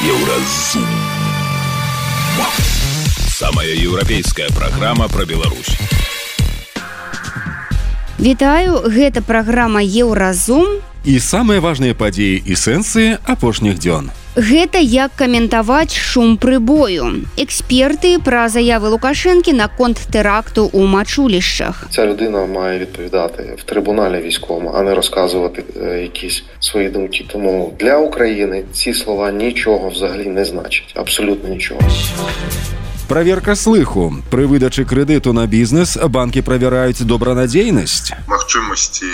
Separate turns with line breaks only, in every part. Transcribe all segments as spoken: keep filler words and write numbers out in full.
Еўразум. Самая еўрапейская праграма пра Беларусь.
Вітаю, гэта праграма Еўразум.
І самыя важныя падзеі і сэнсы апошніх дзён.
Гэта як каментаваць шум прыбою. Эксперты пра заявы Лукашэнкі наконт теракту у Мачулішчах.
Ця людина має відповідати в трибуналі військовому, а не розказувати е, якісь свої думки. Тому для України ці слова нічого взагалі не значать. Абсолютно нічого.
Праверка слыху. Пры выдачы крэдыту на бізнес банкі правяраюць добранадзейнасць.
Магчымасці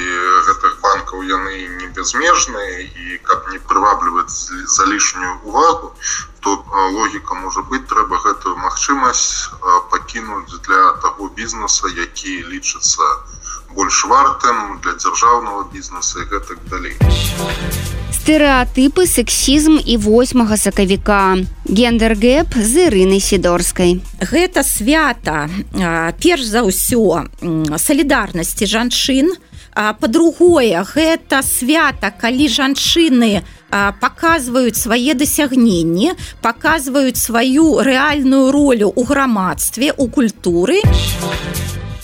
гэтых банкаў яны не безмежныя, і каб не прывабліваць за лішнюю увагу, то логіка можа быць, трэба гэтую магчымасць пакінуць для таго бізнеса, які лічыцца больш вартым для дзяржаўнага бізнеса і гэтак далей.
Стэрэатыпы, сексізм і восьмага сакавіка. Гендер-гэп з Ірынай Сідорскай.
Гэта свята, перш за ўсё, салідарнасці жанчын. Па-другое, гэта свята, калі жанчыны паказваюць свае дасягненні, паказваюць сваю рэальную ролю ў грамадстве, у культуры.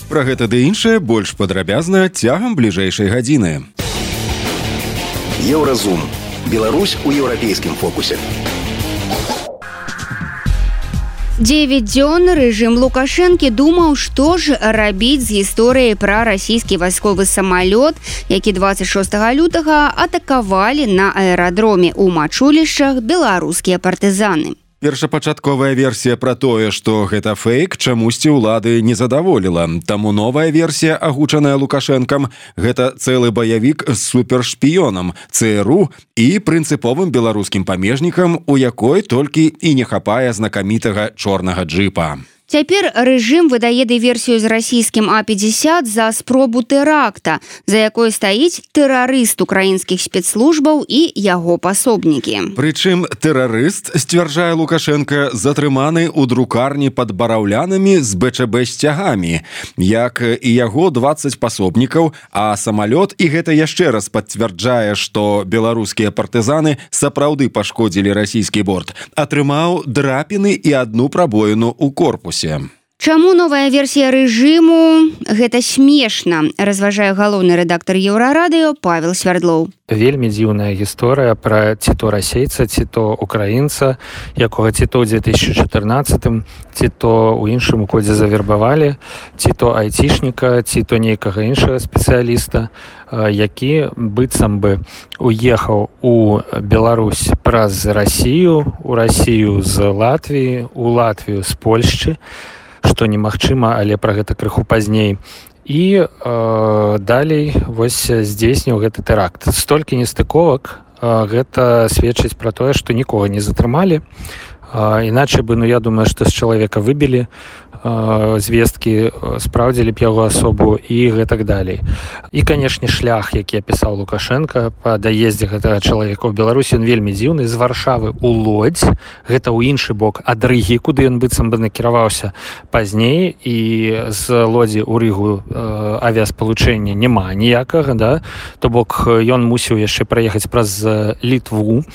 Пра гэта ды іншае больш падрабязна цягам бліжэйшай гадзіны.
Еўразум. Беларусь у еўрапейскім фокусе.
Дзевяць дзён рэжым Лукашэнкі думаў, што ж рабіць з гісторыяй пра расійскі вайсковы самалёт, які дваццаць шостага лютага атакавалі на аэрадроме ў Мачулішчах беларускія партызаны.
Першапачатковая версія пра тое, што гэта фейк, чамусьці ўлады не задаволіла. Таму новая версія, агучаная Лукашэнкам, гэта цэлы баявік з супершпіёнам, ЦРУ і прынцыповым беларускім памежнікам, у якой толькі і не хапае знакамітага чорнага джыпа.
Цяпер рэжым выдае дыверсію з расійскім А пятьдесят за спробу тэракта, за якой стаіць тэрарыст украінскіх спецслужбаў і яго пасобнікі.
Прычым тэрарыст, сцвярджае Лукашенко, затрыманы ў друкарні пад бараўлянамі з Бэ Чэ Бэ сцягамі, як і яго дваццаць пасобнікаў, а самалёт, і гэта яшчэ раз пацвярджае, што беларускія партызаны сапраўды пашкодзілі расійскі борт, атрымаў драпіны і адну прабоіну ў корпусе.
Чаму новая версія рэжыму? Гэта смешна, разважае галоўны рэдактар Еўрарадыё Павел Свярдлоў.
Вельмі дзіўная гісторыя пра ці то расейца, ці то украінца, якога ці то ў дзве тысячы чатырнаццатым, ці то ў іншым годзе завербавалі, ці то айцішніка, ці то нейкага іншага спецыяліста, які быццам бы уехаў у Беларусь праз Расію, у Расію з Латвіі, у Латвію з Польшчы, што немагчыма, але пра гэта крыху пазней. І э, далей вось здзейсніў гэты тэракт. Столькі нестыковак, э, гэта сведчыць пра тое, што нікога не затрымалі. Э, іначай бы, ну я думаю, што з чалавека выбілі э, звесткі, спраўдзілі б яго асобу і гэтак далей. І, канешне, шлях, які апісаў Лукашенко па даездзе гэтага чалавека ў Беларусі, ён вельмі дзіўны, з Варшавы ў Лодзь, гэта ў іншы бок ад Рыгі, куды ён быццам бы накіраваўся пазней, і з Лодзі ў Рыгу э, авіаспалучэння няма ніякага, да? То бок ён мусіў яшчэ праехаць праз Літву,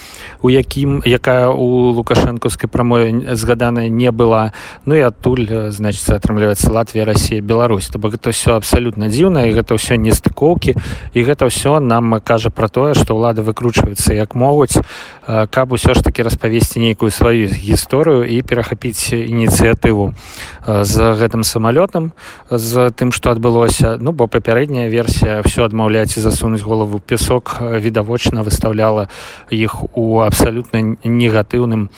у якім, якая у лукашэнкаўскай прамове згаданая не была, ну і адтуль, значит, атрымліваецца Латвія, Расія, Беларусь. То бок гэта ўсё абсалютна дзіўна, і гэта ўсё нестыкоўкі, і гэта ўсё нам кажа пра тое, што ўлады выкручваюцца як могуць, каб усё ж такі распавесці нейкую сваю гісторыю і перахапіць ініцыятыву з гэтым самалётам, з тым, што адбылося. Ну, бо папярэдняя версія ўсё адмаўляць і засунуць голову ў пясок відавочна выстаўляла іх у абсалютна негатыўным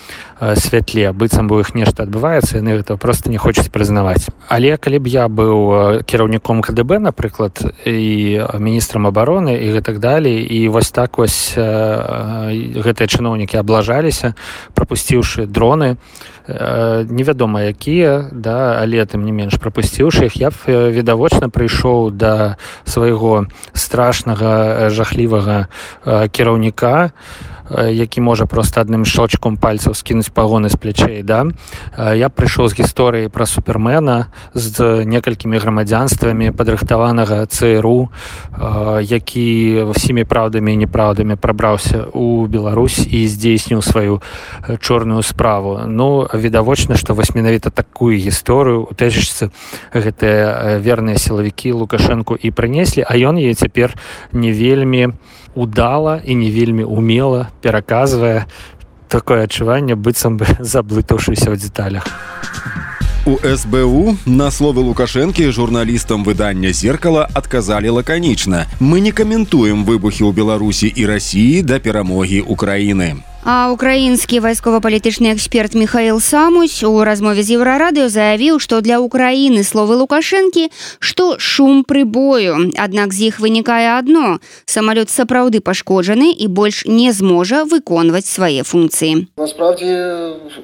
святле, быццам бы у іх нешта адбываецца, яны гэта проста не хочуць прызнаваць. Але калі б я быў кіраўніком Ка Дэ Бэ, напрыклад, і міністрам абароны і гэтак далей, і вось так вось гэтыя чыноўнікі аблажаліся, прапусціўшы дроны, невядома якія, да, але тым не менш прапусціўшы іх, я б відавочна прыйшоў да свайго страшнага, жахлівага кіраўніка які можа просто адным шочком пальцаў скінуць пагоны з плячэй, да? Я прыйшоў з гісторыі пра супермена з некалькімі грамадзянствамі падрыхтаванага ЦРУ, які всімі праўдамі і неправдамі прабраўся ў Беларусь і здзейсніў сваю чорную справу. Ну, відавочна, што вось менавіта такую гісторыю у тэжачцы гэтыя верныя сілавікі Лукашэнку і прынеслі, а ён яе цяпер не вельмі удала і не вельмі умела пераказвае. Такое адчуванне, быццам бы заблытаўшыся ў дэталях.
У эс бэ у на словы Лукашэнкі журналістам выдання «Зеркала» адказалі лаканічна. Мы не каментуем выбухі ў Беларусі і Расіі да перамогі Украіны.
А украінскі вайскова-палітычны эксперт Михаил Самусь у размове з Еўрарадыё заявіў, што для Украіны словы Лукашэнкі, што шум прыбою. Аднак з іх вынікае адно – самалёт сапраўды пашкоджаны і больш не зможа выконваць свае функції.
Насправді,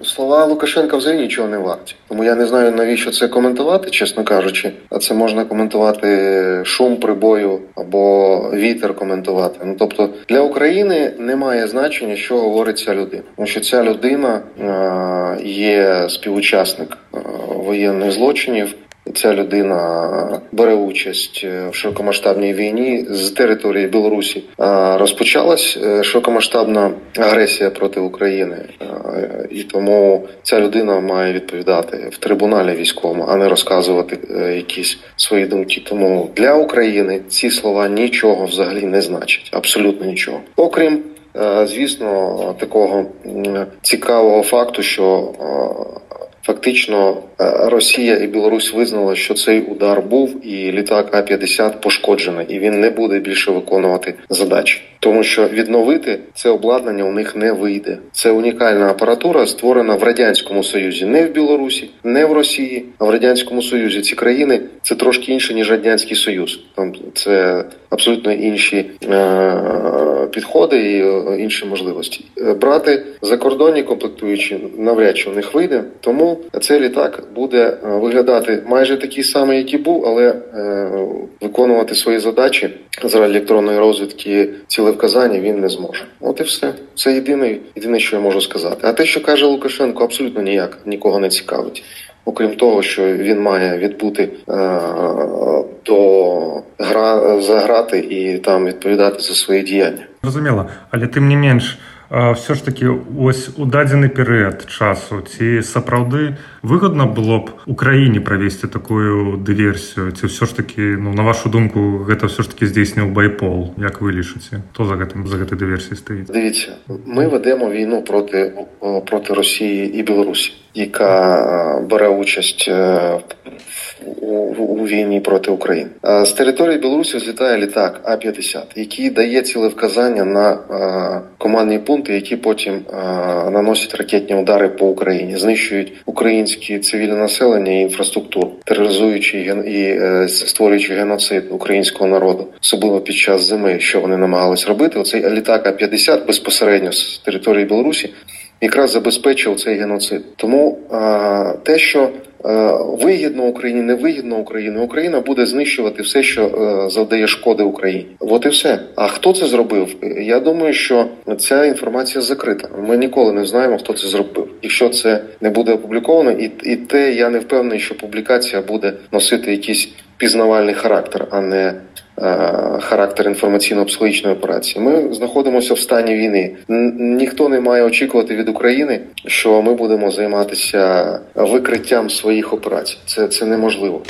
слова Лукашенка взагалі нічого не варті. Тому я не знаю, навіщо це коментувати, чесно кажучи. А це можна коментувати шум прибою або вітер коментувати. Ну, тобто, для України немає значення, що говорить ця людина. Тому що ця людина е, є співучасник е, воєнних злочинів. Ця людина бере участь в широкомасштабній війні з території Білорусі. Розпочалась широкомасштабна агресія проти України. І тому ця людина має відповідати в трибуналі військовому, а не розказувати якісь свої думки. Тому для України ці слова нічого взагалі не значать. Абсолютно нічого. Окрім, звісно, такого цікавого факту, що фактично Росія і Білорусь визнали, що цей удар був і літак А п'ятдесят пошкоджений, і він не буде більше виконувати задачі. Тому що відновити це обладнання у них не вийде. Це унікальна апаратура, створена в Радянському Союзі, не в Білорусі, не в Росії, а в Радянському Союзі. Ці країни – це трошки інше, ніж Радянський Союз. Там це абсолютно інші е- підходи і інші можливості. Брати закордонні комплектуючі навряд чи в них вийде, тому цей літак буде виглядати майже такий самий, як і був, але е- виконувати свої задачі з електронної розвідки цілевказання він не зможе. От і все. Це єдине, єдине, що я можу сказати. А те, що каже Лукашенко, абсолютно ніяк нікого не цікавить. Окрім того, що він має відбути е- до гра заграти і там відповідати за свої діяння.
Зрозуміло, але тим не менш, все ж таки, ось у дадзены перыяд часу, ці сапраўды выгодна было б Украіне правесці такую дыверсію, ці все ж таки, ну, на вашу думку, гэта все ж таки здзейсніў байпол, як вы лічыце? Хто за гэтым, за гэтай дыверсіяй стаіць?
Дивіться, ми ведемо війну проти, проти Росії і Білорусі, яка бере участь у, у війні проти України. З території Білорусі злітає літак А п'ятдесят, який дає цілевказання на командні пункти, які потім наносять ракетні удари по Україні, знищують українське цивільне населення і інфраструктуру, тероризуючи і створюючи геноцид українського народу, особливо під час зими, що вони намагались робити. Оцей літак А п'ятдесят безпосередньо з території Білорусі якраз забезпечив цей геноцид. Тому а, те, що а, вигідно Україні, не вигідно Україні, Україна буде знищувати все, що а, завдає шкоди Україні. От і все. А хто це зробив? Я думаю, що ця інформація закрита. Ми ніколи не знаємо, хто це зробив. Якщо це не буде опубліковано, і, і те, я не впевнений, що публікація буде носити якийсь пізнавальний характер, а не характер інформаційно-психологічної операції. Ми знаходимося в стані війни. Ніхто не має очікувати від України, що ми будемо займатися викриттям своїх операцій. Це, це неможливо.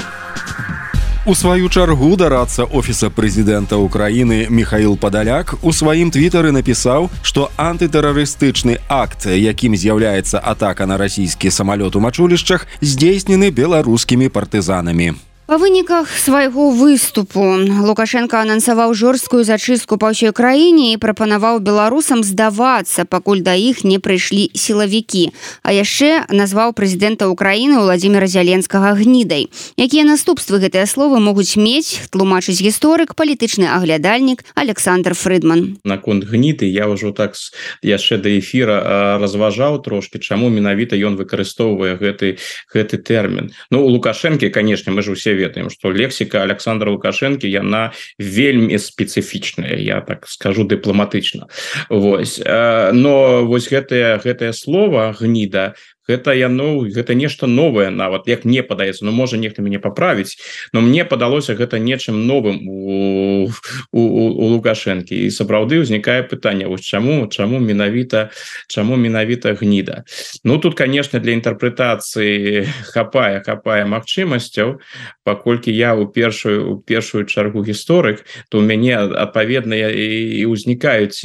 У сваю чаргу дарадца офіса прэзідэнта Украіны Михаил Падаляк у сваім твітары напісаў, што антытэрарыстычны акт, якім з'яўляецца атака на расійскі самалёт у мачулішчах, здзейснены беларускімі партызанамі.
Па выніках свайго выступу Лукашенко анансаваў жорсткую зачыстку па ўсёй краіне і прапанаваў беларусам здавацца, пакуль да іх не прыйшлі сілавікі. А яшчэ назваў прэзідэнта Украіны Владзіміра Зяленскага гнідай. Якія наступствы гэтыя словы могуць мець, тлумачыць гісторык, палітычны аглядальнік Александр Фрыдман.
Наконт гніды я ўжо так яшчэ да эфіра разважаў трошки, чаму менавіта ён выкарыстоўвае гэты, гэты тэрмін. Ну, у Лукашэнкі, канешне, мы ж усе ведаем, что лексика Александра Лукашенко яна вельмі спецыфічная, я так скажу дыпламатычна. Вось. Но вось гэтае гэтае слово гніда, гэта яно гэта нешта новае, нават як мне падаецца, ну можа нехта мяне паправіць, но мне падалося гэта нечым новым у, у, у Лукашэнкі, і сапраўды ўзнікае пытанне, вось чаму чаму менавіта чаму менавіта гніда. Ну тут конечно для інтэрпрэтацыі хапае хапае магчымасцяў, паколькі я у першую у першую чаргу гісторык, то у мяне адпаведна і, і ўзнікаюць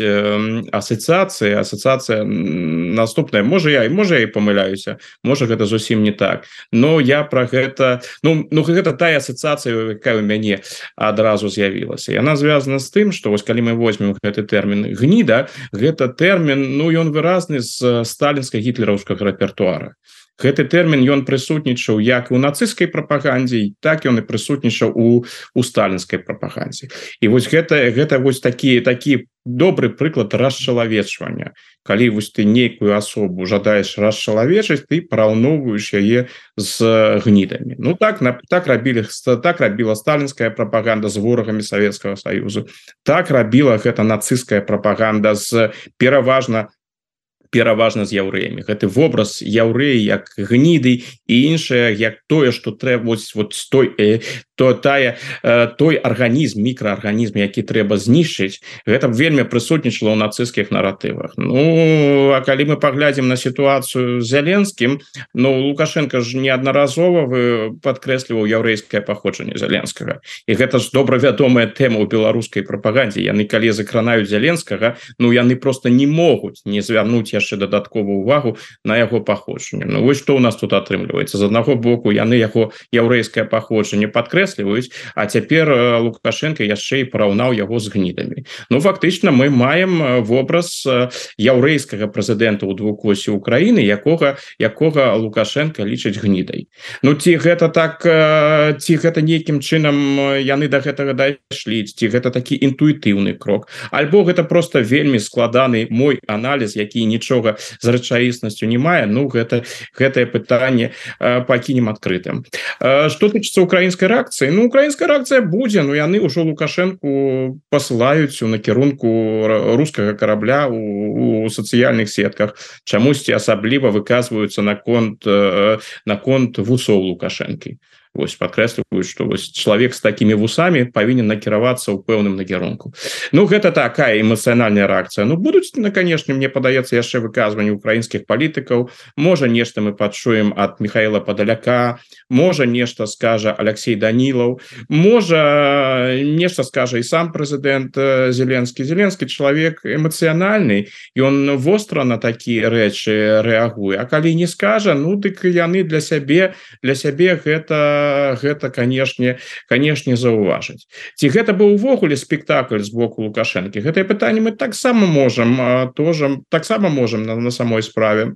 асацыяцыі асацыяцыя наступная, можа я можа я і памыляю, можа гэта зусім не так, но я про гэта ну, ну гэта тая асацыяцыя, якая у мяне адразу з'явілася. Яна звязана з тым, што вось калі мы возьмем гэты тэрмін гніда, гэта тэрмін, ну ён выразны з сталінска-гітлераўскага рэпертуара. Гэты тэрмін ён прысутнічаў як у нацысцкай прапагандзе, так ён і прысутнічаў у у сталінскай прапагандзе. І вось гэта гэта вось такі такі добры прыклад расчалавечвання. Калі вось ты нейкую асобу жадаеш расчалавечыць, ты параўноўваеш яе з гнідамі. Ну так на так рабілі так рабіла сталінская прапаганда з ворагамі Савецкага Саюзу. Так рабіла гэта нацысцкая прапаганда з пераважна пераважна з яўрэямі. Гэты вобраз яўрэі як гніды і іншае як тое, што трэба вось вот той э, то тая э, той арганізм, мікраарганізм, які трэба знішчыць, гэта вельмі прысутнічала ў нацысцкіх наратывах. Ну а калі мы паглядзім на сітуацыю з Зеленскім, ну Лукашенко ж неаднаразова падкрэсліваў яўрэйскае паходжанне Зеленскага. І гэта ж добра вядомая тэма ў беларускай прапагандзе. Яны калі закранаюць Зеленскага, ну яны просто не могуць не звярнуць яшчэ дадатковую увагу на яго паходжанне. Ну вось што ў нас тут атрымліваецца. З аднаго боку яны яго яўрэйскае паходжанне падкрэсліваюць, а цяпер Лукашенко яшчэ і параўнаў яго з гнідамі. Ну фактычна мы маем вобраз яўрэйскага прэзідэнта ў двухкосе Украіны, якога якога Лукашенко лічыць гнідай. Ну ці гэта так ці гэта нейкім чынам яны да гэтага дайшлі, ці гэта такі інтуітыўны крок, альбо гэта просто вельмі складаны мой аналіз, які нічога з рэчаіснасцю не мае. Ну гэта гэтае пытанне э, пакінем адкрытым. Э, што тычыцца украінскай рэакцыі, ну украінская рэакцыя будзе, ну яны ўжо Лукашэнку пасылаюць у накірунку рускага карабля у, у сацыяльных сетках, чамусьці асабліва выказваюцца наконт э, наконт вусоў Лукашэнкі. Вось падкрэсліваюць, што вось чалавек з такімі вусамі павінен накіравацца ў пэўным накірунку. Ну гэта такая эмацыянальная рэакцыя. Ну будуць, на канешне, мне падаецца яшчэ выказванні украінскіх палітыкаў. Можа нешта мы пачуем ад Михаила Падаляка, можа нешта скажа Алексей Данілаў, можа нешта скажа і сам прэзідэнт Зеленскі. Зеленскі чалавек эмацыянальны, ён востра на такія рэчы рэагуе. А калі не скажа, ну дык яны для сябе для сябе гэта гэта канешне канешне заўважыць. Ці гэта быў увогуле спектакль з боку Лукашэнкі? Гэтае пытанне мы таксама можам тоже таксама можам на, на самой справе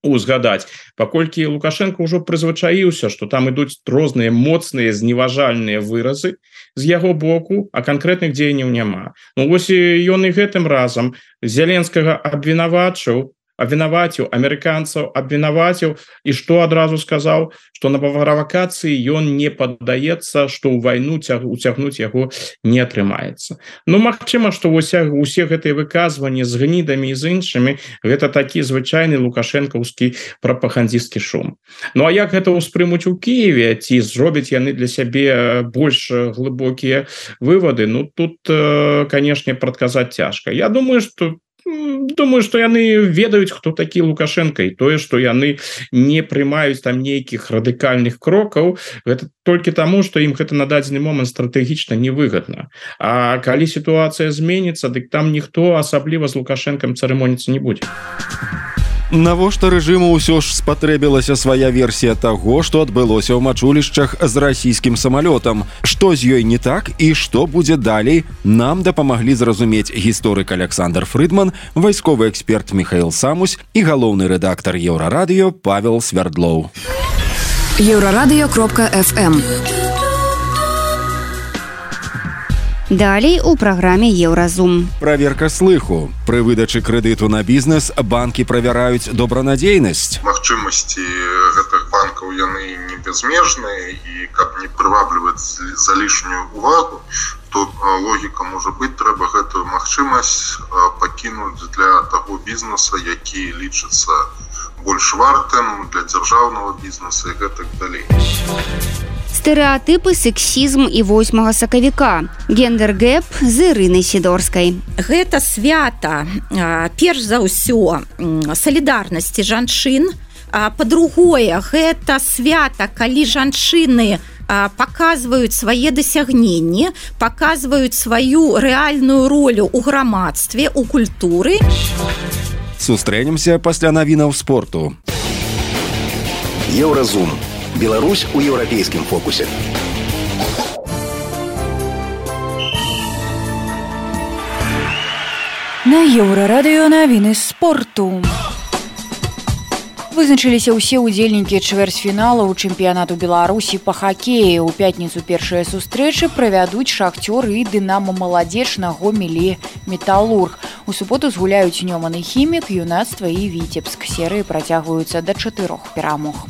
узгадаць, паколькі Лукашенко ўжо прызвычаіўся, што там ідуць розныя моцныя зневажальныя выразы з яго боку, а канкрэтных дзеянняў няма. Ну вось ён і гэтым разам Зеленскага абвінавачыў абвінаваціў амерыканцаў, абвінаваціў, і што адразу сказаў, што на правакацыі ён не паддаецца, што ў вайну уцягнуць яго не атрымаецца. Ну магчыма, што усе гэтыя выказванні з гнідамі і з іншымі гэта такі звычайны лукашэнкаўскі прапагандзісцкі шум. Ну а як гэта ўспрымуць у Кіеве, ці зробяць яны для сябе больш глыбокія вывады? Ну тут, канешне, прадказаць цяжка. Я думаю, што Думаю, што яны ведаюць, хто такі Лукашенко, і тое, што яны не прымаюць там нейкіх радыкальных крокаў, гэта толькі таму, што ім гэта на дадзены момант стратэгічна невыгадна. А калі сітуацыя зменіцца, дык там ніхто асабліва з Лукашэнкам цырымоніцца не будзе.
Навошта рэжыму ўсё ж спатрэбілася свая версія таго, што адбылося ў мачулішчах з расійскім самалётам. Што з ёй не так і што будзе далей, нам дапамаглі зразумець гісторык Александр Фрыдман, вайсковы эксперт Михаил Самусь і галоўны рэдактар Еўрарадыё Павел Свярдлоў.
еўрарадыё кропка эф эм
Далей у праграме Еўразум.
Праверка слыху. Пры выдачы крэдыту на бізнес банкі правяраюць добранадзейнасць.
Магчымасці гэтых банкаў яны не безмежныя, і каб не прывабліваць за лішнюю увагу, то логіка можа быць, трэба гэтую магчымасць пакінуць для таго бізнеса, які лічыцца больш вартым для дзяржаўнага бізнеса і гэтак далей.
Стэрэатыпы, сексізм і восьмага сакавіка. Гендер-гэп з Ірынай Сідорскай.
Гэта свята, перш за ўсё, салідарнасці жанчын. Па-другое, гэта свята, калі жанчыны паказваюць свае дасягненні, паказваюць сваю рэальную ролю ў грамадстве, у культуры.
Сустрэнемся пасля навінаў спорту.
Еўразум. Беларусь у еўрапейскім фокусе.
На Еўрарадыё навіны спорту. Вызначыліся ўсе ўдзельнікі чвэрцьфіналу чэмпіянату Беларусі па хакеі. У пятніцу першыя сустрэчы правядуць Шахцёр і Дынамо Маладзеч на Гомелі Металург. У суботу згуляюць Нёман і Хімік, Юнацтва і Віцебск. Серыі працягваюцца да чатырох перамог.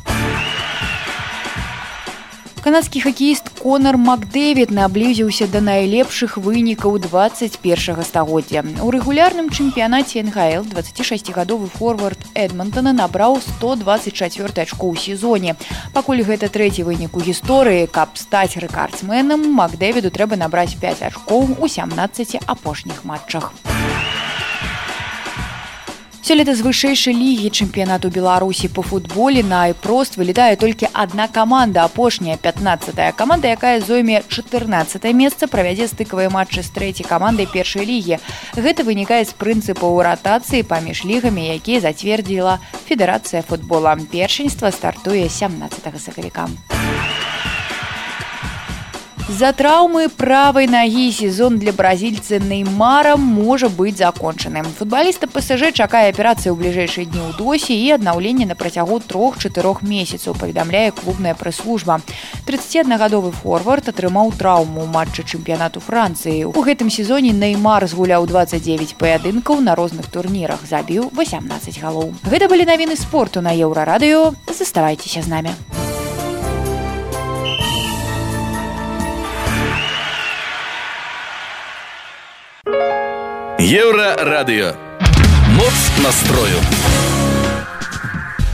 Канадскі хакеіст Конар Макдэвід наблізіўся да найлепшых вынікаў дваццаць першага стагоддзя. У рэгулярным чэмпіянаце эн ха эл дваццацігадовы форвард Эдмантона набраў сто дваццаць чатыры ачко ў сезоне. Пакуль гэта трэці вынік у гісторыі, каб стаць рэкардсменам, Макдэвіду трэба набраць пяць ачкоў у сямнаццаці апошніх матчах. Сёлета з вышэйшай лігі чэмпіянату Беларусі па футболе на айпрост вылетае толькі адна каманда, апошняя пятнаццатая каманда, якая зойме чатырнаццатае месца, правядзе стыкавыя матчы з трэцяй камандай першай лігі. Гэта вынікае з прынцыпаў ратацыі паміж лігамі, якія зацвердзіла Федэрацыя футбола. Першынства стартуе сямнаццатага сакавіка. З-за траўмы правай нагі сезон для бразільца Неймара можа быць закончаны. Футбаліста пэ эс жэ чакае аперацыя ў бліжэйшыя дні ў досі і аднаўленне на працягу трох-чатырох месяцаў, паведамляе клубная прэс-служба. трыццаціаднагадовы форвард атрымаў траўму ў матчы чэмпіянату Францыі. У гэтым сезоне Неймар згуляў дваццаць дзевяць паядынкаў на розных турнірах, забіў васямнаццаць галоў. Гэта былі навіны спорту на Еўрарадыё. Заставайцеся з намі.
Еўрарадыё. Моц настрою.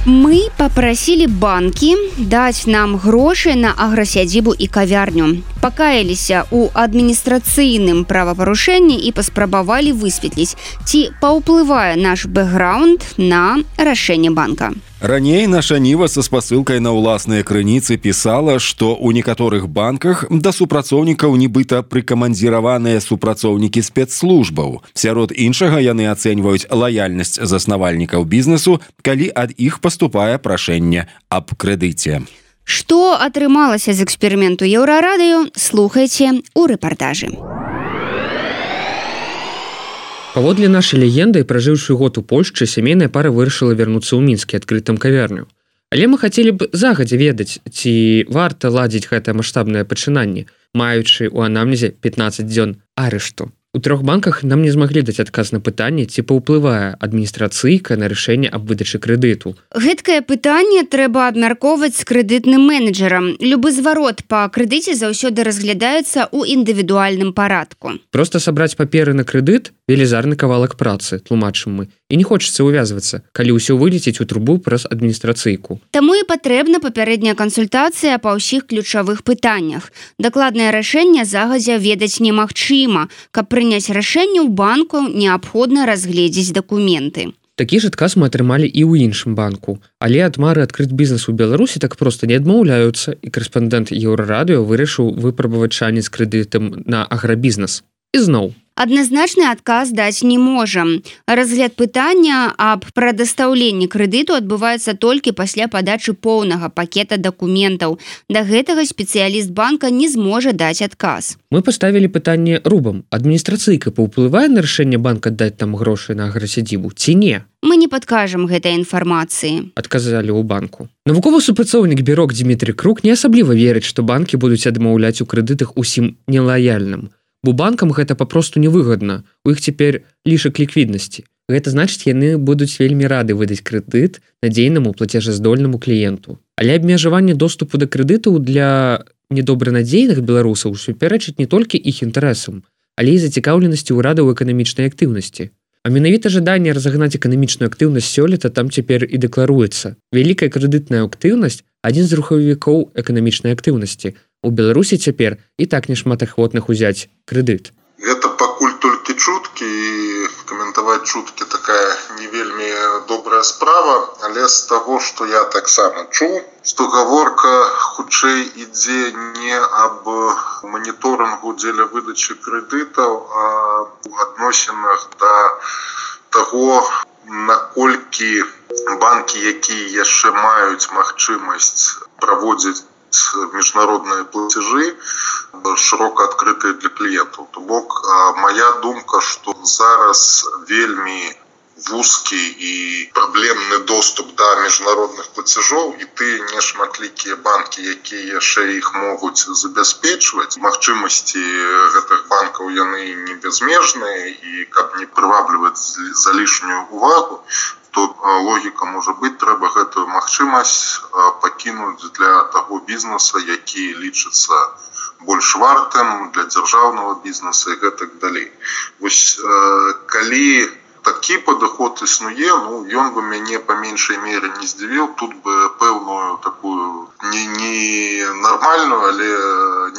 Мы папрасілі банкі даць нам грошы на аграсядзібу і кавярню. Пакаяліся ў адміністрацыйным правапарушэнні і паспрабавалі высветліць, ці паўплывае наш бэкграунд на рашэнне банка.
Раней наша Ніва са спасылкай на ўласныя крыніцы пісала, што ў некаторых банках да супрацоўнікаў нібыта прыкамандзіраваныя супрацоўнікі спецслужбаў. Сярод іншага яны ацэньваюць лаяльнасць заснавальнікаў бізнесу, калі ад іх паступае прашэнне аб крэдыце.
Што атрымалася з эксперыменту Еўрарадыё, слухайце ў рэпартажы.
Паводле нашай легенды, пражыўшы год у Польшчы, сямейная пара вырашыла вярнуцца ў Мінск і адкрыць там кавярню. Але мы хацелі б загадзя ведаць, ці варта ладзіць гэтае маштабнае пачынанне, маючы ў анамнезе пятнаццаць дзён арышту. У трох банках нам не змаглі даць адказ на пытанне, ці паўплывае адміністрацыйка на рашэнне аб выдачы крэдыту.
Гэткае пытанне трэба абмяркоўваць з крэдытным менеджерам. Любы зварот па крэдыце заўсёды разглядаецца ў індывідуальным парадку.
Проста сабраць паперы на крэдыт – велізарны кавалак працы, тлумачым мы. І не хочацца ўвязвацца, калі ўсё вылеціць у трубу праз адміністрацыйку.
Таму і патрэбна папярэдняя кансультацыя па ўсіх ключавых пытаннях. Дакладнае рашэнне загадзя ведаць немагчыма. Каб прыняць рашэнне ў банку, неабходна разгледзець дакументы.
Такі ж адказ мы атрымалі і ў іншым банку. Але ад мары адкрыць бізнес у Беларусі так проста не адмаўляюцца, і корэспандэнт Еўрарадыё вырашыў выпрабаваць шанец крэдытам на аграбізнес. І зноў.
Адназначны адказ даць не можам. Разгляд пытання аб прадастаўленні крэдыту адбываецца толькі пасля падачы поўнага пакета дакументаў. Да гэтага спецыяліст банка не зможа даць адказ.
Мы паставілі пытанне рубам. Адміністрацыйка паўплывае на рашэнне банка даць там грошы на аграсядзібу ці не?
Мы не падкажам гэтай інфармацыі.
Адказалі ў банку. Навуковы супрацоўнік Бюрок Дмітрий Крук не асабліва верыць, што банкі будуць адмаўляць у крэдытах усім нелаяльным. бо банкам гэта папросту невыгадна, у іх цяпер лішак ліквіднасці. Гэта значыць, яны будуць вельмі рады выдаць крэдыт надзейнаму плацежаздольнаму кліенту. Але абмежаванне доступу да крэдытаў для недобранадзейных беларусаў супярэчыць не толькі іх інтарэсам, але і зацікаўленасці ўрада ў эканамічнай актыўнасці. А менавіта жаданне разагнаць эканамічную актыўнасць сёлета там цяпер і дэкларуецца. Вялікая крэдытная актыўнасць – адзін з рухавікоў эканамічнай актыўнасці. У Беларусі цяпер і так няшмат ахвотных узяць крэдыт.
Гэта пакуль толькі чуткі, і каментаваць чуткі такая не вельмі добрая справа, але з таго, што я таксама чуў, што гаворка хутчэй ідзе не аб маніторынгу дзеля выдачы крэдытаў, а ў адносінах да таго, наколькі банкі, якія яшчэ маюць магчымасць праводзіць міжнародныя плацежы, шырока адкрытыя для кліентаў. То бок, моя думка, што зараз вельмі вузкі і праблемны доступ да міжнародных плацежоў, і ты нешматлікія банкі, якія яшчэ іх могуць забяспечваць. Магчымасці гэтых банкаў яны не безмежныя, і каб не прывабліваць залішнюю увагу, то логіка можа быць, трэба гэтую магчымасць пакінуць для таго бізнеса, які лічыцца больш вартым для дзяржаўнага бізнеса і гэтак далей. Вось калі такі падыход існуе, ну, ён бы мяне па меншай мере не здзівіў, тут бы пэўную такую не, не нармальную, але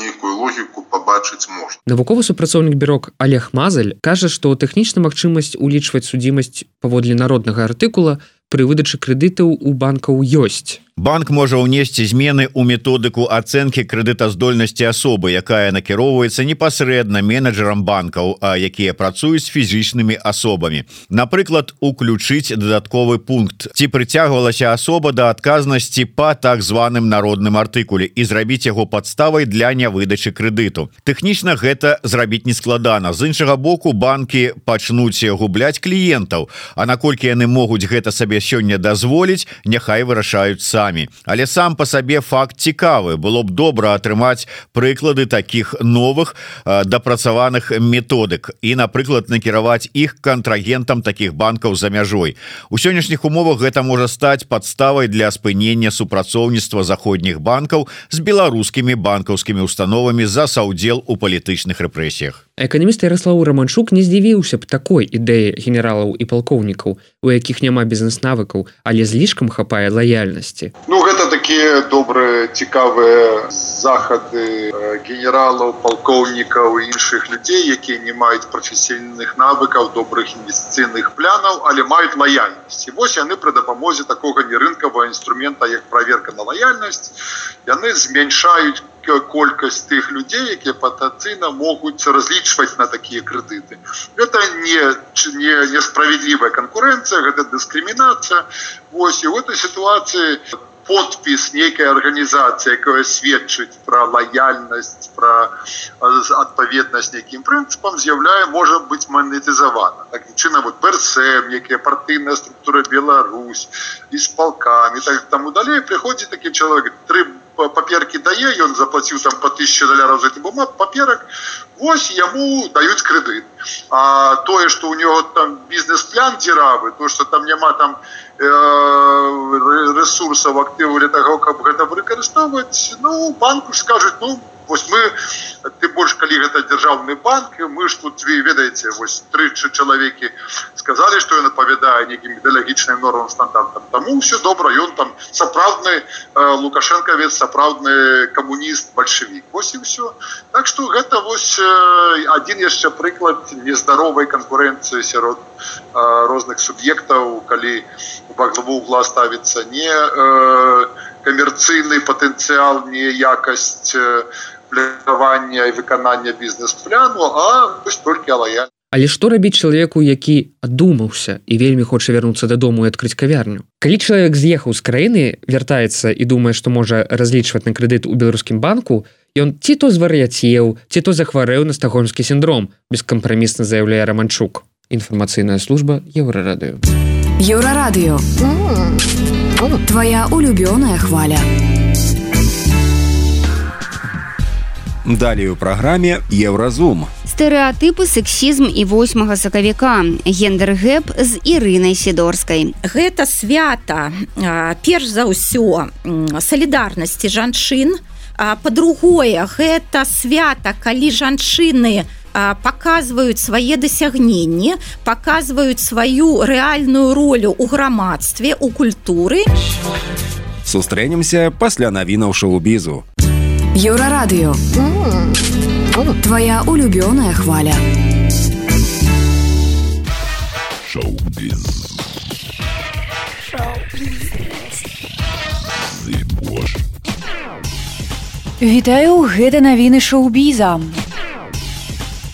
нейкую логіку пабачыць можна.
Навуковы супрацоўнік бюро Олег Мазаль кажа, што тэхнічна магчымасць улічваць судзімасць паводле народнага артыкула пры выдачы крэдытаў у банкаў ёсць.
Банк можа ўнесці змены ў методыку ацэнкі крэдытаздольнасці асобы, якая накіроўваецца непасрэдна менеджерам банкаў, якія працуюць з фізічнымі асобамі. Напрыклад, уключыць дадатковы пункт, ці прыцягвалася асоба да адказнасці па так званым народным артыкуле і зрабіць яго падставай для нявыдачы крэдыту. Тэхнічна гэта зрабіць нескладана. З іншага боку, банкі пачнуць губляць кліентаў, а наколькі яны могуць гэта сабе сёння дазволіць, няхай вырашаюць самі. Але сам па сабе факт цікавы. Было б добра атрымаць прыклады такіх новых э, дапрацаваных методык і, напрыклад, накіраваць іх кантрагентам такіх банкаў за мяжой. У сённяшніх умовах гэта можа стаць падставай для спынення супрацоўніцтва заходніх банкаў з беларускімі банкаўскімі установамі за саўдзел у палітычных рэпрэсіях.
Эканаміст Ярослаў Раманчук не здзівіўся б такой ідэі генералаў і палкоўнікаў, у якіх няма бізнес-навыкаў, але злішкам хапае лаяльнасці.
Ну, гэта такія добрыя, цікавыя захады генералаў, палкоўнікаў і іншых людзей, якія не маюць прафесійных навыкаў, добрых інвестыцыйных планаў, але маюць лаяльнасць. І вось яны пры дапамозе такога нерынкавага інструмента, як праверка на лаяльнасць, яны змяншаюць колькасць тых людзей, якія патэнцыйна могуць разлічваць на такія крэдыты. Гэта не, не, не справедлівая канкурэнцыя, гэта дыскрымінацыя. Вось, і ў этой сітуацыі подпіс нейкай арганізацыі, якая сведчыць пра лаяльнасць, пра адпаведнасць нейкім прынцыпам, з'яўляе, можа быць манетызавана. Такім чынам, вот БРСМ, якая партыйная структура Беларусь, і з палкамі, так таму далей прыходзіць такі чалавек, тры паперкі дае, ён заплаціў там па тысяче даляраў за гэты бумаг, паперак, вось яму даюць крэдыт. А тое, што ў него там бізнес-план дзіравы, то, што там няма там э, ресурсаў, актываў для таго, каб гэта выкарыстоўваць, ну, банку ж скажуць, ну, вось мы, ты больш, калі гэта дзяржаўны банк, мы ж тут, вы ведаеце, вось тры чалавекі сказалі, што ён адпавядае нейкім ідэалагічным нормам, стандартам. Таму ўсё добра, ён там сапраўдны э, лукашэнкавец, сапраўдны камуніст, бальшавік. Вось і ўсё. Так што гэта вось э, адзін яшчэ прыклад нездаровай канкурэнцыі сярод э, розных суб'ектаў, калі во главу угла ставіцца не э, камерцыйны патэнцыял, не якасць э, планавання і выканання бізнес-пляну, а вось толькі лаяльнасць.
Але што рабіць чалавеку, які адумаўся і вельмі хоча вярнуцца дадому і адкрыць кавярню? Калі чалавек з'ехаў з краіны, вяртаецца і думае, што можа разлічваць на крэдыт у беларускім банку, ён ці то звар'яцеў, ці то захварэў на стакгольмскі сіндром, бескампрамісна заяўляе Раманчук. Інфармацыйная служба Еўрарадыё.
Еўрарадыё. Твоя улюбёная хваля.
Далее у праграме Еўразум.
Стэрэатыпы, сексізм і восьмага сакавіка. Гендер-гэп з Ірынай Сідорскай.
Гэта свята, перш за ўсё, салідарнасці жанчын. Па-другое, гэта свята, калі жанчыны паказваюць свае дасягненні, паказваюць сваю рэальную ролю ў грамадстве, у культуры.
Сустрэнемся пасля навінаў шоу-бізу.
Еўрарадыё. Твоя улюбёная хваля.
Шоу-біз.
Вітаю, гэта навіны шоу-біза.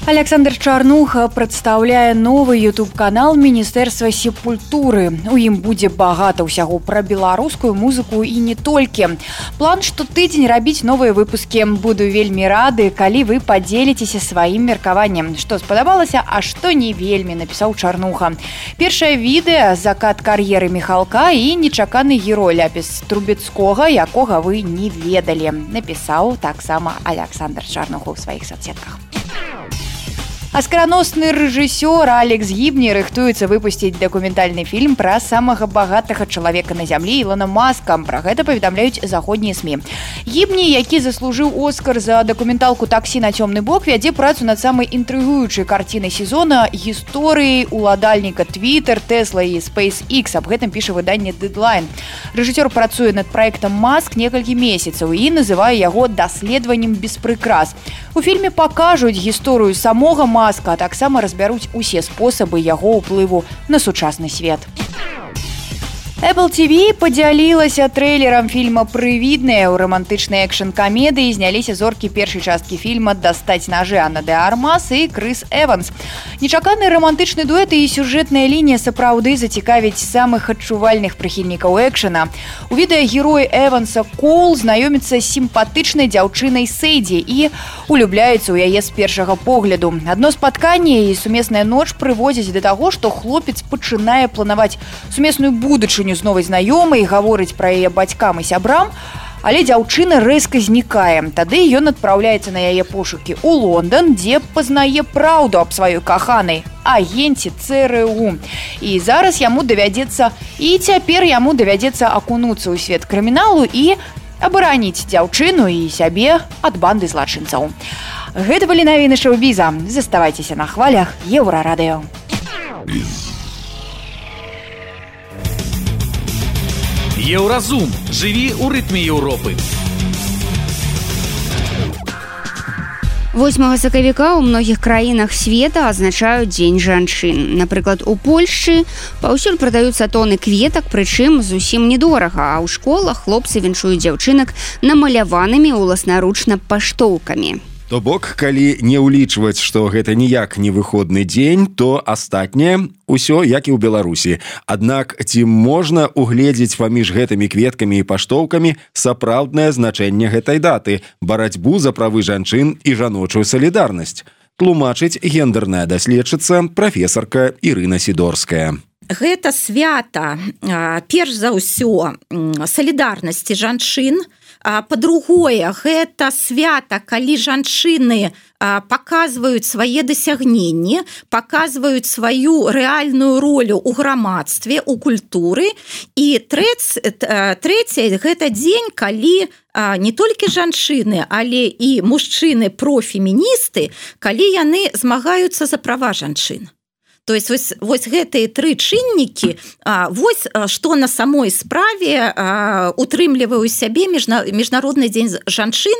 Александр Чарнуха прадстаўляе новы ютуб-канал Міністэрства сепультуры. У ім будзе багата ўсяго пра беларускую музыку і не толькі. План штотыдзень рабіць новыя выпускі. Буду вельмі рады, калі вы падзеліцеся сваім меркаваннем. Што спадабалася, а што не вельмі, напісаў Чарнуха. Першае відэа «Закат кар'еры Міхалка» і нечаканы герой ляпіс Трубецкога, якога вы не ведалі. Напісаў таксама Александр Чарнуха ў сваіх соцсетках. Аскараносны рэжысёр Алекс Гібні рыхтуецца выпусціць дакументальны фільм пра самага багатага чалавека на зямлі Ілона Маска. Пра гэта паведамляюць заходнія СМІ. Гібні, які заслужыў Оскар за дакументалку «Таксі на цёмны бок», вядзе працу над самай інтрыгуючай карцінай сезона гісторыі уладальніка Twitter, Tesla і SpaceX. Аб гэтым піша выданне Deadline. Рэжысёр працуе над праектам Маск некалькі месяцаў і называе яго даследаваннем без прыкрас. У фільме пакажуць гісторыю самога Маска, а таксама разбяруць усе спосабы яго ўплыву на сучасны свет. Apple ти ви падзялілася трэйлерам фільма «Прывідныя». У рамантычнай экшн-камедыі зняліся зоркі першай часткі фільма «Дастаць нажы» Анна де Армас і Крыс Эванс. Нечаканы рамантычны дуэт і сюжэтная лінія сапраўды зацікавіць самых адчувальных прыхільнікаў экшэна. У відэа герой Эванса Коул знаёміцца з сімпатычнай дзяўчынай Сэйдзі і улюбляецца ў яе з першага погляду. Адно спатканне і сумесная ноч прыводзяць да таго, што хлопец пачынае планаваць сумесную будучыню з новай знаёмай, гаворыць пра яе бацькам і сябрам, але дзяўчына рэзка знікае. Тады ён адпраўляецца на яе пошукі ў Лондан, дзе пазнае праўду аб сваёй каханай, агенце ЦРУ. І зараз яму давядзецца, і цяпер яму давядзецца акунуцца ў свет крыміналу і абараніць дзяўчыну і сябе ад банды злачынцаў. Гэта былі навіны шоу-біза. Заставайцеся на хвалях Еўрарадыё.
Еўразум. Жыві ў рытме Еўропы.
восьмага сакавіка ў многіх краінах света азначаюць дзень жанчын. Напрыклад, у Польшчы паўсюль прадаюцца тоны кветак, прычым зусім недорага, а ў школах хлопцы віншуюць дзяўчынак намаляванымі ўласнаручна паштоўкамі.
То бок, калі не ўлічваць, што гэта ніяк не выходны дзень, то астатняе ўсё як і ў Беларусі. Аднак ці можна угледзець паміж гэтымі кветкамі і паштоўкамі сапраўднае значэнне гэтай даты, барацьбу за правы жанчын і жаночую салідарнасць? Тлумачыць гендерная даследчыца прафесарка Ірына Сідорская.
Гэта свята, перш за ўсё, салідарнасці жанчын. Па-другое, гэта свята, калі жанчыны паказваюць свае дасягненні, паказваюць сваю рэальную ролю ў грамадстве, у культуры. І трэцяе, гэта дзень, калі не толькі жанчыны, але і мужчыны-профеміністы, калі яны змагаюцца за права жанчын. То есть вось, вось гэтыя тры чыннікі, вось што на самой справе утрымлівае ў сябе міжнародны дзень жанчын.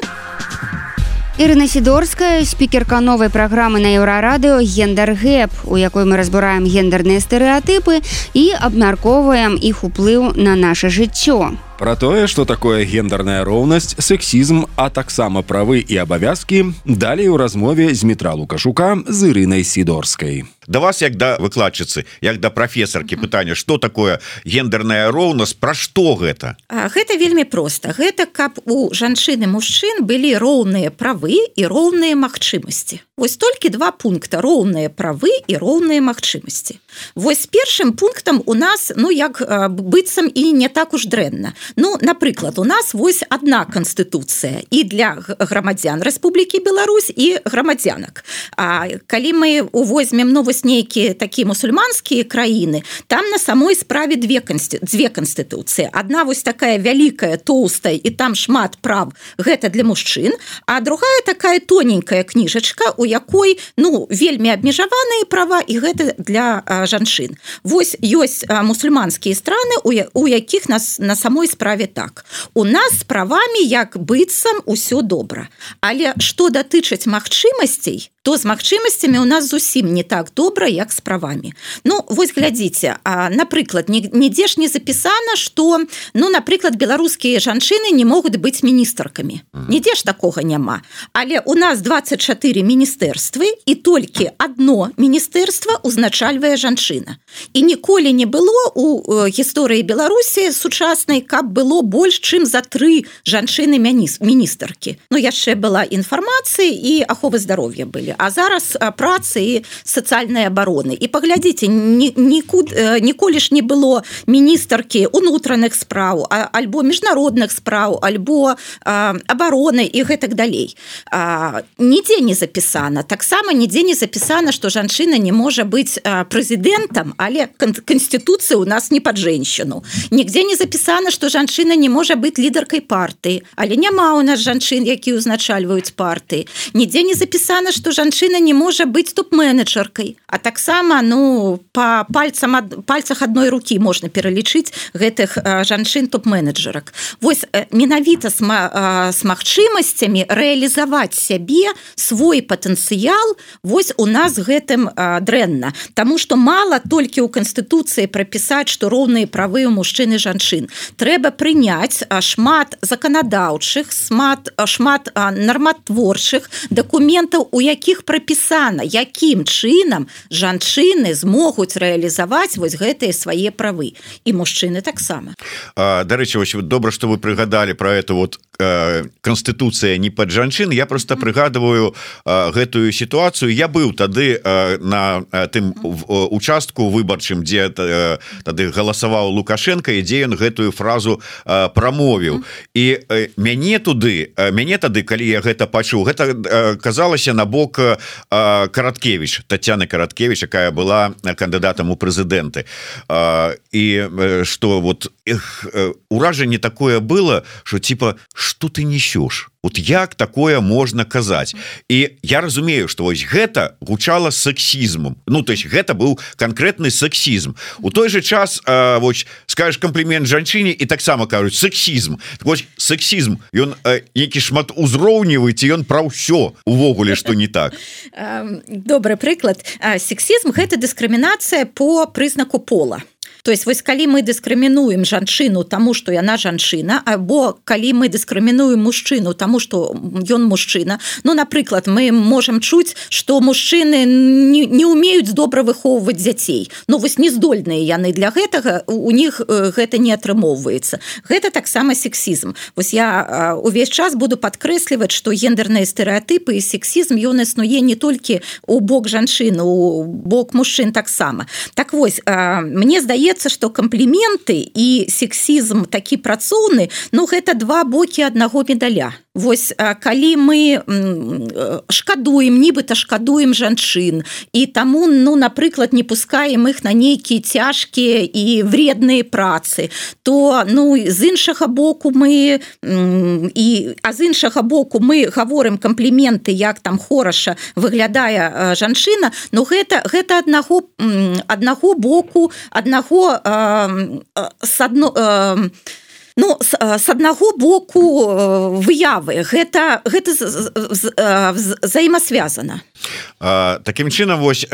Ірына Сідорская, спікерка новай праграмы на Еўрарадыё «Гендер-гэп», у якой мы разбіраем гендерныя стэрэатыпы і абмяркоўваем іх уплыў на наша жыццё.
Пра тое, што такое гендерная роўнасць, сексізм, а таксама правы і абавязкі, далей у размове з Дмітра Лукашука з Ірынай Сідорскай.
Да вас, як да выкладчыцы, як да прафесаркі, пытанне, што такое гендерная роўнасць, пра што гэта?
Гэта вельмі проста. Гэта каб у жанчын і мужчын былі роўныя правы і роўныя магчымасці. Вось толькі два пункта: роўныя правы і роўныя магчымасці. Вось першым пунктам у нас ну як быццам і не так уж дрэнна. Ну напрыклад, у нас вось одна канстытуцыя і для грамадзян Рэспублікі Беларусь і грамадзянак. А калі мы увозьмем ну вось нейкія такія мусульманскія краіны, там на самой справе две конститу... две канстытуцыі. Одна вось такая вялікая, тоўстая і там шмат прав, гэта для мужчын, а другая такая тоненькая кніжачка, у якой ну вельмі абмежаваныя права і гэта для а, жанчын. Вось ёсць а, мусульманскія страны, у, у якіх нас на самой справе так. У нас з правамі як быццам усё добра. Але што датычыць магчымасцей, то з магчымасцямі у нас зусім не так добра, як з правамі. Ну, вось глядзіце, а, напрыклад, нідзе ж не запісана, што, ну, напрыклад, беларускія жанчыны не могуць быць міністаркамі. Нідзе ж такога няма. Але у нас двадцать чатыры міністэрствы, і толькі адно міністэрства узначальвае жанчына. І ніколі не было у гісторыі Беларусі сучаснай, каб было больш, чым за тры жанчыны-міністаркі. Ну, яшчэ была інфармацыя і аховы здароўя былі. А зараз працы і сацыяльнай абароны. І паглядзіце, ні, нікуд, ніколі ж не было міністаркі унутраных спраў, альбо міжнародных спраў, альбо а, абароны і гэтак далей. А, нідзе не запісана. Таксама нідзе не запісана, што жанчына не можа быць а, прэзідэнтам, але канстытуцыя у нас не пад женщину. Нігдзе не запісана, што жанчына не можа быць лідаркай партыі, але няма у нас жанчын, якія ўзначальваюць партыі. Нідзе не запісана, што жанчына не можа быць топ-менеджеркай, а таксама ну па пальцам ад, пальцах адной рукі можна пералічыць гэтых а, жанчын топ-менеджерак. Вось менавіта з, а, з магчымасцямі рэалізаваць сябе, свой патэнцыял, вось у нас гэтым а, дрэнна. Таму што мала толькі ў канстытуцыі прапісаць, што роўныя правы ў мужчын і жанчын. Трэба прыняць а, шмат заканадаўчых, шмат, шмат а, нарматворчых дакументаў, у якіх прапісана, якім чынам жанчыны змогуць рэалізаваць вось гэтыя свае правы. І мужчыны таксама.
Дарэчы, добра, што вы прыгадалі пра эту вот канстытуцыя не пад жанчын. Я просто прыгадываю гэтую сітуацыю. Я быў тады на тым участку выбарчым, дзе тады галасаваў Лукашенко, і дзе ён гэтую фразу прамовіў. І мяне туды, мяне тады, калі я гэта пачуў, гэта казалася на бок Караткевич, Татьяны Караткевич, якая была кандыдатам у прэзідэнты. І што вот эх, уражанне такое было, что типа, что ты несешь? Вот як такое можна казаць? І я разумею, што вось гэта гучала сексізмом. Ну, то есть гэта быў канкрэтны сексізм. У той же час э, вось, скажешь комплімент жанчыне і таксама кажуць сексізм. Так вось, сексізм, ён э, які шмат узроўнівы, ці ён пра ўсё увогуле, што не так.
Добры прыклад. Сексізм – гэта дыскрымінацыя по прызнаку пола. То есть вось калі мы дыскрымінуем жанчыну таму, што яна жанчына, або калі мы дыскрымінуем мужчыну таму, што ён мужчына, ну, напрыклад, мы можам чуць, што мужчыны не, не умеюць добра выхоўваць дзяцей. Ну, вось не здольныя яны для гэтага, у них гэта не атрымоўваецца. Гэта таксама сексізм. Вось я увесь час буду падкрэсліваць, што гендерныя стэрэатыпы і сексізм, ён існуе не толькі у бок жанчын, у бок мужчын таксама. Так вось, мне здаецца, што кампліменты і сексізм такі працоўны, ну, гэта два бокі аднаго медаля. Вось, калі мы шкадуем, нібыта шкадуем жанчын, і таму, ну, напрыклад, не пускаем іх на нейкія цяжкія і вредныя працы, то, ну, з іншага боку мы, і, а з іншага боку мы гаворым кампліменты, як там хораша выглядае жанчына, ну, гэта, гэта аднаго, аднаго боку, аднаго с адно, ну, с аднаго боку выявы. Гэта, гэта взаимосвязано.
Такім чынам, вось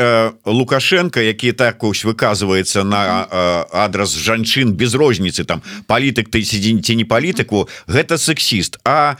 Лукашенко, які так ось выказваецца на адрас жанчын без розніцы, там палітык ты ці не палітыку, гэта сексіст. А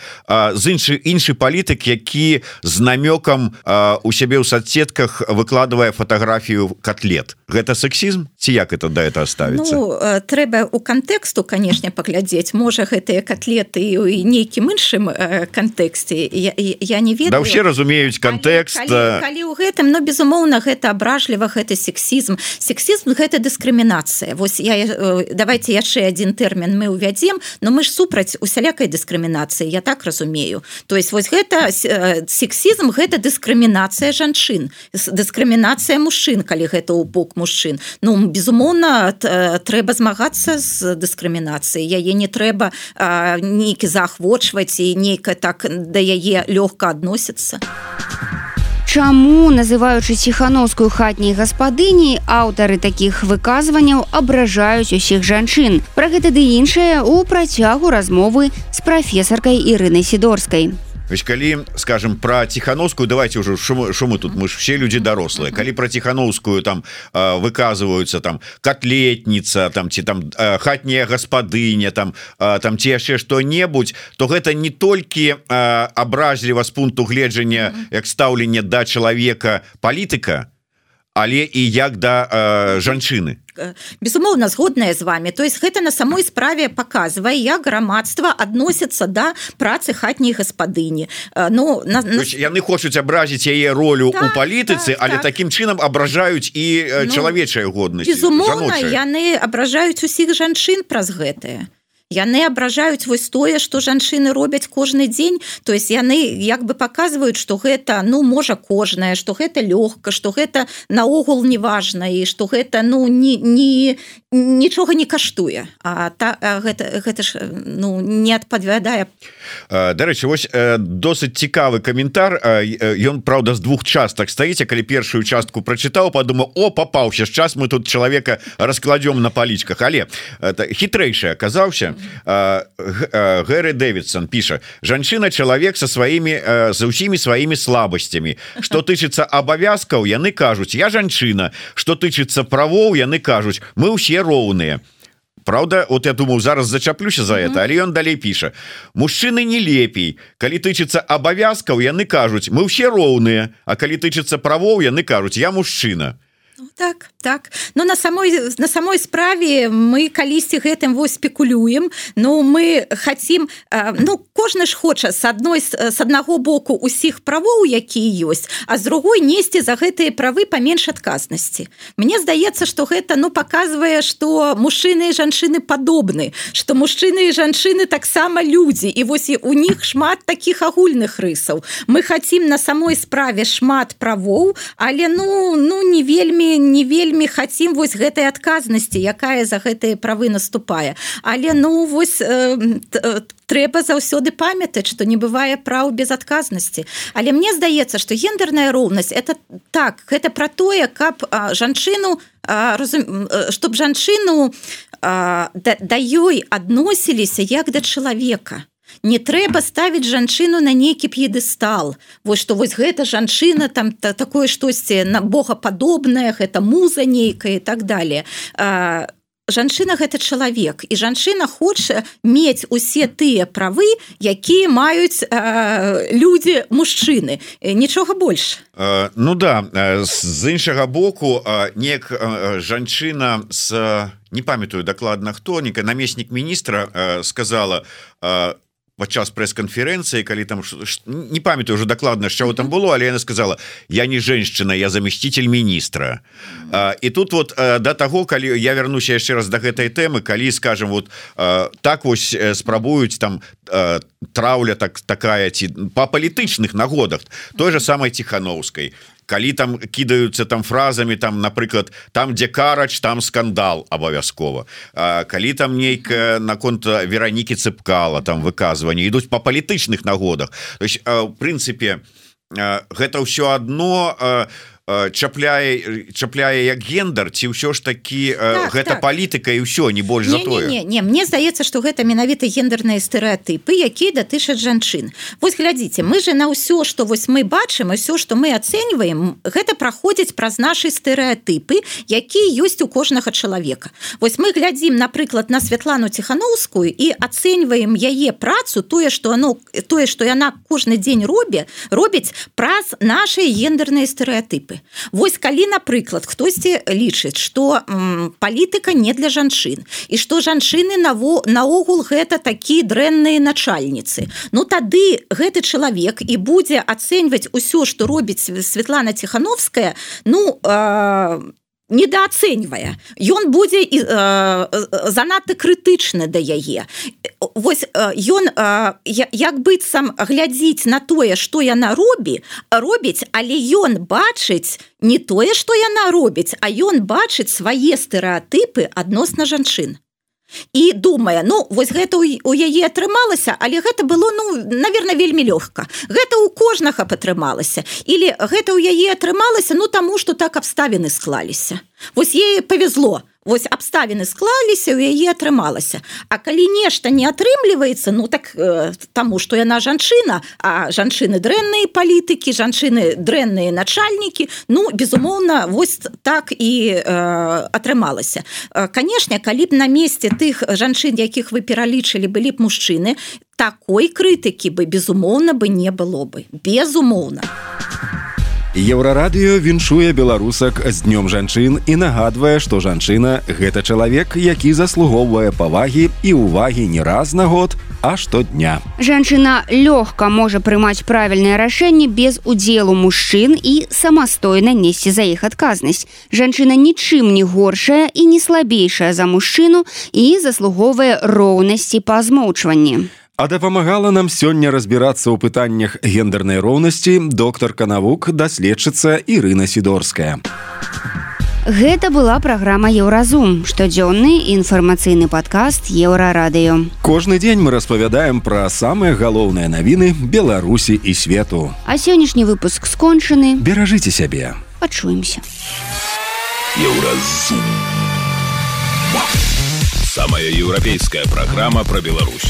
з іншы іншы палітык, які з намёкам у сябе ў соцсетках выкладвае фатаграфію котлет. Гэта сексізм? Ці як это да это ставіцца?
Ну, трэба у кантэксту, канешне, паглядзець. глядзець можа гэтыя котлеты і нейкім іншым кантэксце я, я не ведаю.
Да ўсе разумеюць кантэкст
калі, калі, калі ў гэтым но безумоўна гэта абражліва гэта сексізм сексізм гэта дыскрымінацыя. Вось я давайте яшчэ один тэрмін мы увядзем но мы ж супраць усялякай дыскрымінацыі я так разумею. То есть вось гэта сексізм гэта дыскрымінацыя жанчын дыскрымінацыя мужчын калі гэта ў бок мужчын. Ну безумоўна трэба змагацца з дыскрымінацыяй яе не трэба нейкі заахвочваць і нейка так да яе лёгка адносіцца.
Чаму, называючы Ціхановскую хатняй гаспадыняй, аўтары такіх выказванняў абражаюць усіх жанчын? Пра гэта ды іншае ў працягу размовы з прафесаркай Ірынай Сідорскай.
Вось калі скажем про Ціхановскую давайте уже что мы тут мы ж все люди дарослыя калі про Ціхановскую там выказываются там котлетница там ці там хатняя гаспадыня там там ці яшчэ что-небудзь то гэта не толькі абразліва з пункту гледжання як стаўлення да чалавека палітыка але і як да э, жанчыны.
Безумоўна згодная з вами. То есть гэта на самой справе показвае як грамадства адносіцца да працы хатняй гаспадыні. Ну на, на...
яны хочуць абразіць яе ролю так, у палітыцы так, але так. таким чынам абражаюць і ну, чалавечая годнасць.
Безумоўна яны абражаюць усіх жанчын праз гэтае. Яны абражаюць вось тое, што жанчыны робяць кожны дзень, то есть яны як бы паказваюць, што гэта ну можа кожнае, што гэта лёгка, што гэта наогул не важна і што гэта ну не, не, нічога не каштуе. А та, гэта, гэта ж ну не адпавядае.
Дарэчы, вось досыць цікавы каментар. Ён праўда з двух частак стаіць, калі першую частку прачытаў, падумаў: о, папаўся, час мы тут чалавека раскладём на палічках, але хітрэйшы аказаўся. Гэри Дэвидсон піша: жанчына чалавек со сваімі за ўсімі сваімі слабасцямі. Што тычыцца абавязкаў, яны кажуць: я жанчына. Што тычыцца правоў, яны кажуць: мы ўсе роўныя. Правда, вот я думаю, зараз зачаплюся за это, але ён далей піша: мужчыны не лепей. Калі тычыцца абавязкаў, яны кажуць: мы ўсе роўныя. А калі тычыцца правоў, яны кажуць: я мужчына.
Так, так. Но на самой, на самой справе мы калісьці гэтым вось спекулюем, но мы хотим, ну, кожны ж хоча с одной, с одного боку усіх правоў, якія ёсць, а з другой несці за гэтыя правы паменш адказнасці. Мне здаецца, што гэта, ну, показвае, што мужчыны і жанчыны падобны, што мужчыны і жанчыны таксама людзі, і вось у них шмат такіх агульных рысаў. Мы хотим на самой справе шмат правоў, але, ну, ну не вельмі не вельмі хацім вось гэтай адказнасці, якая за гэтыя правы наступае. Але ну вось э, трэба заўсёды памятаць, што не бывае праў без адказнасці. Але мне здаецца, што гендерная роўнасць это так, гэта пра тое, каб а, жанчыну а, разум... чтоб жанчыну а, да, да ёй адносіліся як да чалавека. Не трэба ставіць жанчыну на нейкі п'едэстал. Вось што вось гэта жанчына там та, такое штосьці на богападобнае, гэта муза нейкая і так далее. А, жанчына гэта чалавек, і жанчына хоча мець усе тыя правы, якія маюць а, людзі мужчыны. Нічога больш.
А, ну да, з іншага боку, неяк жанчына з не памятаю дакладна хто, нейкі намеснік міністра сказала падчас прэс-канферэнцыі, калі там не памятаю уже дакладна, що там было, але яна сказала: я не женщина, я заместитель міністра. А, і тут вот да таго, калі я вярнуся яшчэ раз да гэтай тэмы, калі скажем вот так вось спрабуюць там траўля так такая ці па палітычных нагодах той же самой Ціхановскай. Калі там кідаюцца там фразамі там, напрыклад, там дзе карач, там скандал абавязкова. А, калі там нейкая наконт Веранікі Цыпкала там выказванні ідуць па палітычных нагодах. То есть, а, в прынцыпе, а, гэта ўсё адно а, чапляе чапляе як гендер, ці ўсё ж такі так, гэта так. Палітыка і ўсё, не больш
не,
за тое.
Не, не, не. Мне здаецца, што гэта менавіта гендерныя стэрэатыпы, якія датычаць жанчын. Вось глядзіце, мы же на ўсё, што вось мы бачым, ўсё, што мы ацэньваем, гэта праходзіць праз нашы стэрэатыпы, якія ёсць у кожнага чалавека. Вось мы глядзім, напрыклад, на Святлану Ціхановскую і ацэньваем яе працу, тое, што оно, тое, што яна кожны дзень робе, робіць праз нашы гендерныя стэрэатыпы. асобы. Вось калі, напрыклад, хтосьці лічыць, што м, палітыка не для жанчын і што жанчыны наво, наогул гэта такія дрэнныя начальніцы, ну тады гэты чалавек і будзе ацэньваць усё, што робіць Светлана Тихановская, ну, э, недооцэньвае. Ён будзе э, занадта крытычны да яе. Вось ён э, як быццам глядзіць на тое, што яна робі, робіць, але ён бачыць не тое, што яна робіць, а ён бачыць свае стэрэатыпы адносна жанчын. І думае, ну, вось гэта у яе атрымалася, але гэта было, ну, наверное, вельмі лёгка. Гэта ў кожнага атрымалася. Или гэта ў яе атрымалася, ну, таму, што так абставіны склаліся. Вось ей повезло. Вось абставіны склаліся, у яе атрымалася. А калі нешта не атрымліваецца, ну, так э, таму, што яна жанчына, а жанчыны дрэнныя палітыкі, жанчыны дрэнныя начальнікі, ну, безумоўна, вось так і э, атрымалася. Э, канешне, калі б на месте тых жанчын, якіх вы пералічылі, былі б мужчыны, такой крытыкі бы, безумоўна, бы не было бы. Безумоўна.
Еўрарадыё віншуе беларусак з днём жанчын і нагадвае, што жанчына – гэта чалавек, які заслугоўвае павагі і ўвагі не раз на год, а штодня.
Жанчына лёгка можа прымаць правільнае рашэнне без удзелу мужчын і самастойна несці за іх адказнасць. Жанчына нічым не горшая і не слабейшая за мужчыну і заслугоўвае роўнасці па змоўчванні.
А дапамагала нам сёння разбірацца ў пытаннях гендернай роўнасці доктарка навук, даследчыца Ірына Сідорская.
Гэта была праграма «Еўразум», штодзённы інфармацыйны падкаст Еўрарадыё.
Кожны дзень мы распавядаем пра самыя галоўныя навіны Беларусі і свету.
А сённяшні выпуск скончаны.
Беражыце сябе.
Пачуемся.
Еўразум. Самая еўрапейская праграма пра Беларусь.